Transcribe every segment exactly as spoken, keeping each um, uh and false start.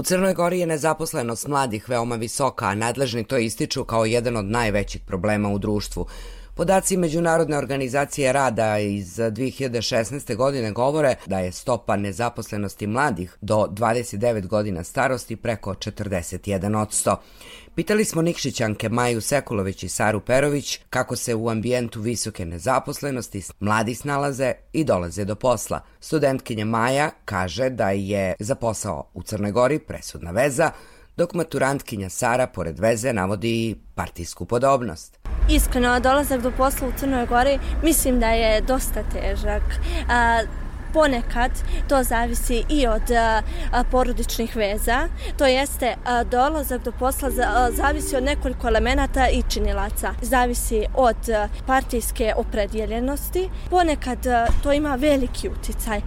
U Crnoj Gori je nezaposlenost mladih veoma visoka, a nadležni to ističu kao jedan od najvećih problema u društvu. Podaci Međunarodne organizacije rada iz dve hiljade šesnaeste. godine govore da je stopa nezaposlenosti mladih do dvadeset devet godina starosti preko četrdeset jedan posto. Pitali smo Nikšićanke Maju Sekulović i Saru Perović kako se u ambijentu visoke nezaposlenosti mladi snalaze i dolaze do posla. Studentkinja Maja kaže da je za posao u Crnoj Gori presudna veza, dok maturantkinja Sara pored veze navodi partijsku podobnost. Iskreno, dolazak do posla u Crnoj Gori mislim da je dosta težak. A, ponekad to zavisi i od a, porodičnih veza, to jeste a, dolazak do posla za, a, zavisi od nekoliko elemenata i činilaca. Zavisi od a, partijske opredjeljenosti, ponekad a, to ima veliki uticaj.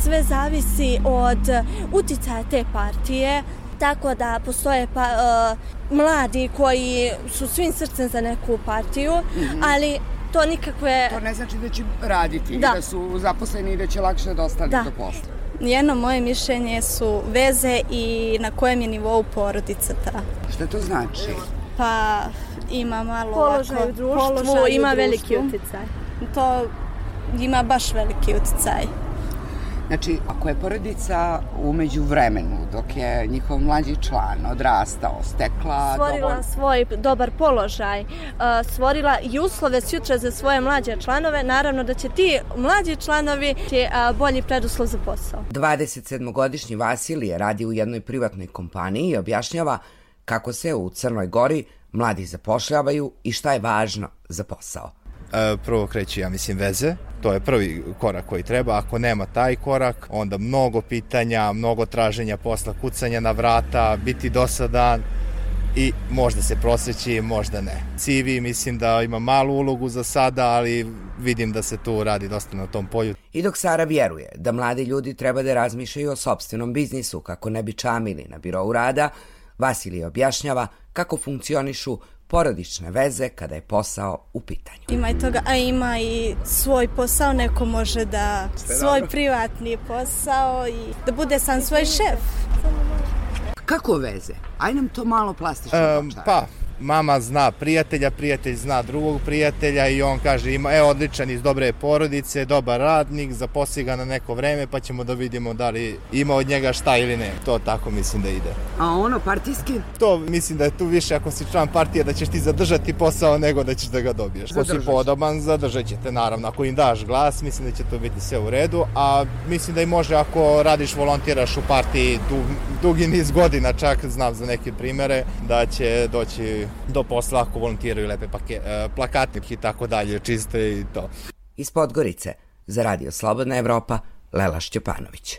Sve zavisi od a, uticaja te partije, tako da postoje pa, uh, mladi koji su svim srcem za neku partiju, mm-hmm. ali to nikakve... To ne znači da će raditi, da, da su zaposleni i da će lakše da ostane do posla. Jedno moje mišljenje su veze i na kojem je nivou porodica ta. Šta to znači? Pa ima malo... Položaj u društvu, položaj ima u veliki uticaj. To ima baš veliki uticaj. Znači, ako je porodica umeđu vremenu, dok je njihov mlađi član odrastao, stekla... Stvorila dovolj... svoj dobar položaj, uh, stvorila i uslove sutra za svoje mlađe članove, naravno da će ti mlađi članovi će uh, bolji preduslov za posao. dvadesetsedmogodišnji Vasilije radi u jednoj privatnoj kompaniji i objašnjava kako se u Crnoj Gori mladi zapošljavaju i šta je važno za posao. Prvo kreće, ja mislim, veze. To je prvi korak koji treba. Ako nema taj korak, onda mnogo pitanja, mnogo traženja posla, kucanja na vrata, biti dosadan i možda se prosjeći, možda ne. C V mislim da ima malu ulogu za sada, ali vidim da se tu radi dosta na tom polju. I dok Sara vjeruje da mladi ljudi treba da razmišljaju o sopstvenom biznisu kako ne bi čamili na birou rada, Vasilije objašnjava kako funkcionišu porodične veze kada je posao u pitanju. Ima i toga, a ima i svoj posao, neko može da Sve svoj dobro. privatni posao i da bude sam svoj šef. Kako veze? Aj nam to malo plastično Um, počaje. pa, mama zna prijatelja, prijatelj zna drugog prijatelja i on kaže, ima, e, odličan iz dobre porodice, dobar radnik, zaposli ga na neko vreme pa ćemo da vidimo da li ima od njega šta ili ne. To tako mislim da ide. A ono partijski? To mislim da je tu više ako si član partije da ćeš ti zadržati posao nego da ćeš da ga dobiješ. Ako si podoban, zadržat će te naravno. Ako im daš glas, mislim da će to biti sve u redu, a mislim da i može ako radiš, volontiraš u partiji dug, dugi niz godina, čak znam za neke primere, da će doći do posla ako volontiraju lepe pake, plakatnike i tako dalje, čiste i to. Iz Podgorice, za Radio Slobodna Evropa, Lela Šćepanović.